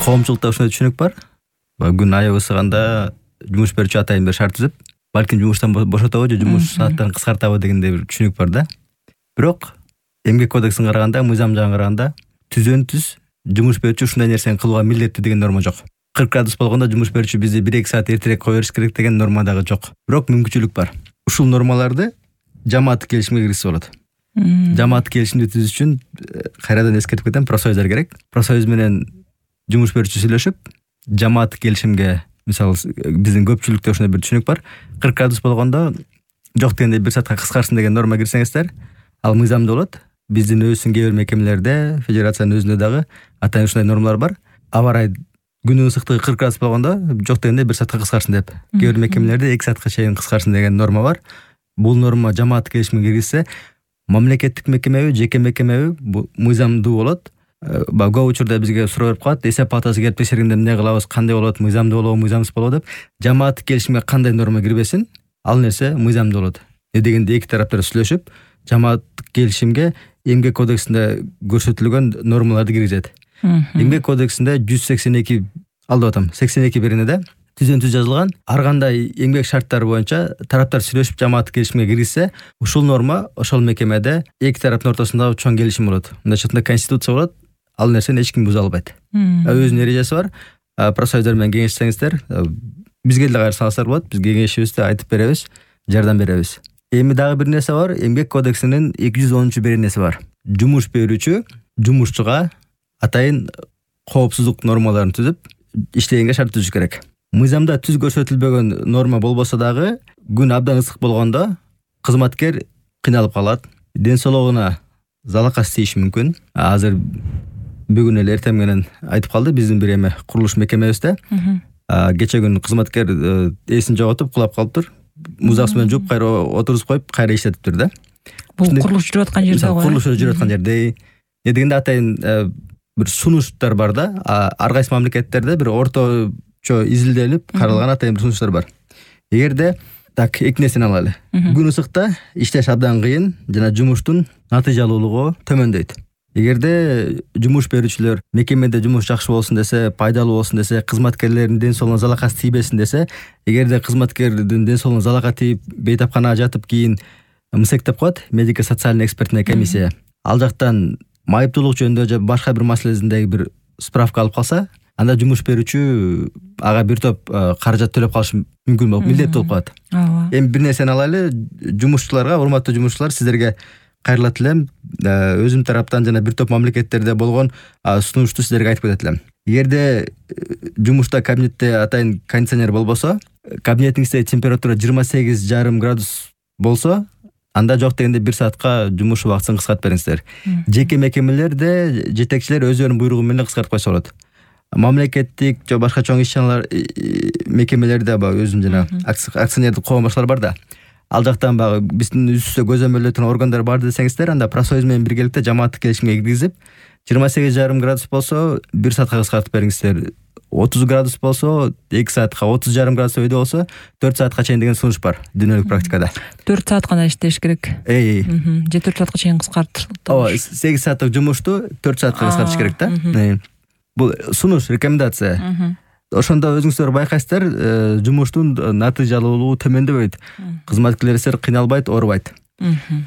коомчулукта ушундай түшүнүк бар. Күн аябы ысыганда жумуш берүүчү атайын бир шарт түзүп, балким жумуштан бошотобу же жумуш сааттарын кыскартабы дегендей бир түшүнүк бар да. Бирок эмгек кодексине караганда, мыйзам жагына караганда түзөн-түз жумуш берүүчү ушундай нерсени кылууга милдеттүү деген норма жок. 40 градус болгондо жумуш берүүчү бизди 1-2 саат эртерээк кое бериш керек деген норма дагы жок. Бирок мүмкүнчүлүк бар. Ушул нормаларды жамааттык келишимге киргизсе болот. Жамааттык келишимди түзүш үчүн кайрадан эскертип кетем, профсоюздар керек. Профсоюз менен жумуш берүүчү сүйлөшүп, жамааттык келишимге, мисалы биздин көпчүлүктө ушундай бир түшүнүк бар. 40 градус болгондо жок дегенде 1 саатка кыскарсын деген норма кирсеңиздер, ал мыйзамда болот. Биздин өзүбүздүн кээ бир мекемелерде, федерациянын өзүндө дагы атайын ушундай нормалар бар. Аба ырайы күнүн ысыктыгы 40 градус болгондо жок дегенде 1 саатка кыскарсын деп. Кээ бир мекемелерде 2 саатка чейин кыскарсын деген норма бар. Бул норма жамааттык келишимге киргизсе, мамлекеттик мекемеби, жеке мекемеби бул мыйзамдуу болот. Көп учурда бизге суроо берип калат, эсеп палатасы келип текшергенде эмне кылабыз, кандай болот, мыйзамдуу болобу, мыйзамсыз болобу деп. Жамааттык келишимге кандай норма кирбесин, ал нерсе мыйзамдуу болот. Дегенде эки тараптар сүйлөшүп, жамааттык келишимге эмгек кодексинде көрсөтүлгөн нормаларды киргизет. Эмгек кодексинде 182 алдап атам, 82 беренеде түзөн-түз жазылган. Ар кандай эмгек шарттары боюнча тараптар сүйлөшүп жамааттык келишимге киргизсе, ушул норма ошол мекемеде эки тараптын ортосунда чоң келишим болот. Мындайча айтканда конституция болот. Ал нерсени эч ким буза албайт. Өзүнүн эрежеси бар. Профсоюздар менен кеңешсеңиздер, бизге деле кайрсаңыздар болот. Биз кеңешибизди айтып беребиз, жардам беребиз. Эми дагы бир нерсе бар. Эмгек кодексинин 210 беренеси бар. Жумуш берүүчү жумушчуга атайын коопсуздук нормаларын түзүп, иштегенге шарт түзүш керек. Мыйзамда түз көрсөтүлбөгөн норма болбосо дагы күн абдан ысык болгондо кызматкер кыйналып калат. Ден соолугуна залакат тийиши мүмкүн. Азыр бүгүн эле эртең менен айтып калды биздин бир эме курулуш мекемебизде. Кече күн кызматкер эсин жоготуп кулап калыптыр. Музак менен жууп кайра отургузуп коюп кайра иштетиптир да. Бул курулуш жүрүп аткан жерде го. Курулуш жүрүп аткан жерде. Дегенде атайын бир сунуштар бар да. Ар кайсы мамлекеттерде бир орточо изилделип каралган атайын бир сунуштар бар. Эгерде так эки нерсени алалы. Күн ысыкта иштеш абдан кыйын жана жумуштун натыйжалуулугу төмөндөйт. Эгерде жумуш берүүчүлөр мекемеде жумуш жакшы болсун десе, пайдалуу болсун десе, кызматкерлердин ден соолугуна залакат тийбесин десе, эгерде кызматкердин ден соолугуна залакат тийип, бейтапканага жатып кийин МСЭК деп коет, медико-социальный экспертная комиссия. Ал жактан майыптуулук жөнүндө же башка бир маселесиндеги бир справка алып калса, анда жумуш берүүчү ага бир топ каражат төлөп калышы мүмкүн болуп, милдеттүү болуп калат. Эми бир нерсени алайлы, жумушчуларга, урматтуу жумушчулар, сиздерге кайрылат элем. Өзүм тараптан жана бир топ мамлекеттерде болгон сунушту сиздерге айтып кетет элем. Эгерде жумушта кабинетте атайын кондиционер болбосо, кабинетиңизде температура 28,5 градус болсо, анда жок дегенде 1 саатка жумуш убактысын кыскартып бериңиздер. Жеке мекемелерде жетекчилер өздөрүнүн буйругу менен кыскартып койсо болот. Мамлекеттик же башка чоң иш-чаралар мекемелерде өзүнүн жана акционердик коом башкалар бар да. Ал жактан биздин үстүбүздө көзөмөлдөө турган органдар бар десеңиздер, анда профсоюз менен биргеликте жамааттык келишимге киргизип, 28,5 градус болсо 1 саатка кыскартып бериңиздер. 30 градус болсо 2 саатка, 30,5 градус өйдө болсо 4 саатка чейин деген сунуш бар дүйнөлүк практикада. 4 саат гана иштеш керек. Же 4 саатка чейин кыскартып. 8 сааттык жумушту 4 саатка кыскартыш керек да. Бул сунуш, рекомендация. Ошондо өзүңүздөр байкайсыздар, жумуштун натыйжалуулугу төмөндөбөйт. Кызматкерлер кыйналбайт, оорубайт.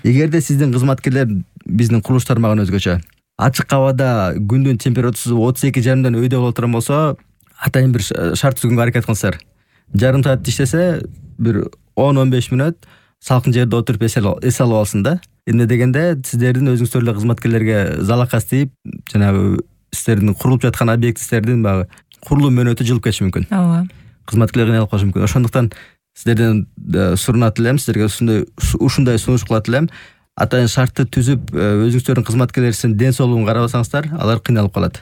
Эгерде сиздин кызматкерлер биздин курулуш тармагынын өзгөчө ачык абада күндүн температурасы 32,5дан өйдө боло турган болсо, атайын бир шарт түзгөнгө аракет кылыңыздар. Жарым саат иштесе, бир 10-15 мүнөт салкын жерде отуруп эс алып алсын да. Эмне дегенде сиздердин өзүңүздөр эле кызматкерлерге залакат тийип, жанагы сиздердин курулуп жаткан объекттердин курулуу мөөнөтү жылып кетиши мүмкүн. Кызматкерлер кыйналып калышы мүмкүн. Ошондуктан сиздерден сурунат элем, сиздерге ушундай сунуш кылат элем. Атайын шартты түзүп, өзүңүздөрдүн кызматкерлеринин ден соолугун карабасаңыздар, алар кыйналып калат.